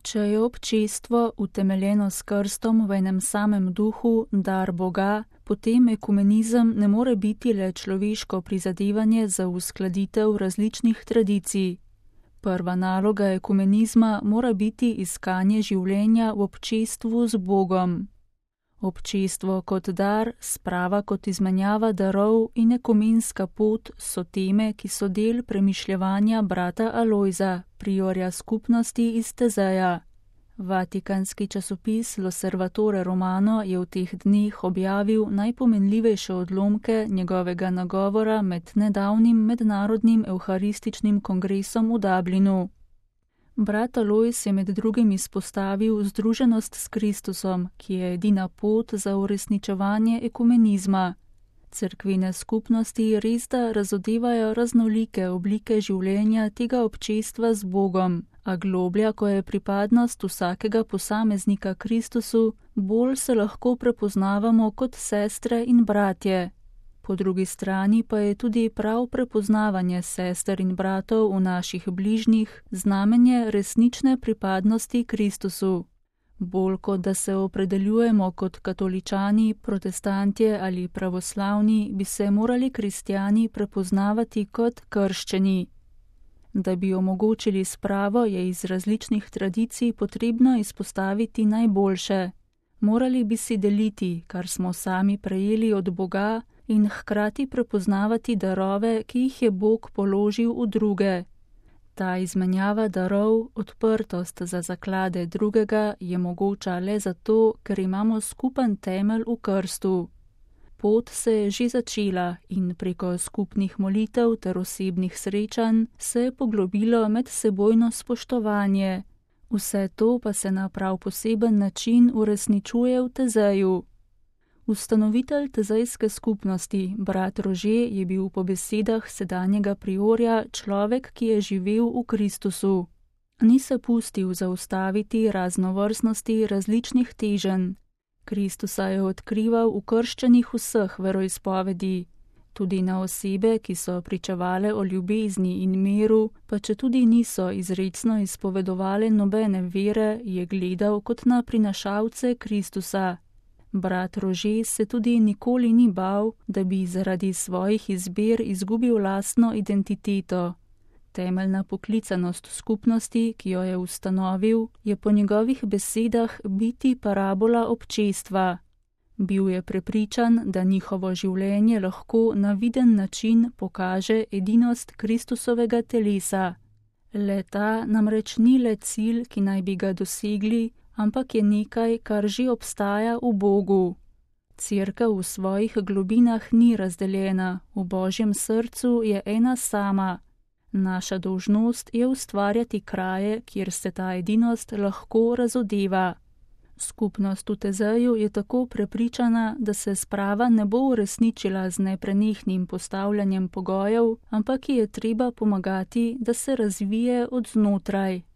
Če je občestvo utemeljeno s krstom v enem samem duhu, dar Boga, potem ekumenizem ne more biti le človeško prizadevanje za uskladitev različnih tradicij. Prva naloga ekumenizma mora biti iskanje življenja v občestvu z Bogom. Občestvo kot dar, sprava kot izmenjava darov in ekumenska pot so teme, ki so del premišljevanja brata Alojza, priorja skupnosti iz Tezeja. Vatikanski časopis L'Osservatore Romano je v teh dneh objavil najpomenljivejše odlomke njegovega nagovora med nedavnim mednarodnim evharističnim kongresom v Dublinu. Brat Alojz je med drugim izpostavil združenost s Kristusom, ki je edina pot za uresničevanje ekumenizma. Cerkvene skupnosti resda razodevajo raznolike oblike življenja tega občestva z Bogom, a globlja, ko je pripadnost vsakega posameznika Kristusu, bolj se lahko prepoznavamo kot sestre in bratje. Po drugi strani pa je tudi prav prepoznavanje sester in bratov v naših bližnjih znamenje resnične pripadnosti Kristusu. Bolj kot da se opredeljujemo kot katoličani, protestantje ali pravoslavni, bi se morali kristjani prepoznavati kot krščeni. Da bi omogočili spravo, je iz različnih tradicij potrebno izpostaviti najboljše. Morali bi si deliti, kar smo sami prejeli od Boga, in hkrati prepoznavati darove, ki jih je Bog položil v druge. Ta izmenjava darov, odprtost za zaklade drugega je mogoča le zato, ker imamo skupen temelj v krstu. Pot se je že začela in preko skupnih molitev ter osebnih srečanj se je poglobilo medsebojno spoštovanje. Vse to pa se na prav poseben način uresničuje v Tezeju. Ustanovitelj tezejske skupnosti, brat Rože, je bil po besedah sedanjega priorja človek, ki je živel v Kristusu. Ni se pustil zaustaviti raznovrstnosti različnih teženj. Kristusa je odkrival v krščanih vseh veroizpovedi. Tudi na osebe, ki so pričevale o ljubezni in miru, pa četudi niso izrecno izpovedovale nobene vere, je gledal kot na prinašalce Kristusa. Brat Rože se tudi nikoli ni bal, da bi zaradi svojih izbir izgubil lastno identiteto. Temeljna poklicanost skupnosti, ki jo je ustanovil, je po njegovih besedah biti parabola občestva. Bil je prepričan, da njihovo življenje lahko na viden način pokaže edinost Kristusovega telesa. Le-ta namreč ni le cilj, ki naj bi ga dosegli, ampak je nekaj, kar že obstaja v Bogu. Cerkev v svojih globinah ni razdeljena, v Božjem srcu je ena sama. Naša dolžnost je ustvarjati kraje, kjer se ta edinost lahko razodeva. Skupnost v Tezeju je tako prepričana, da se sprava ne bo uresničila z neprenehnim postavljanjem pogojev, ampak ji je treba pomagati, da se razvije od znotraj.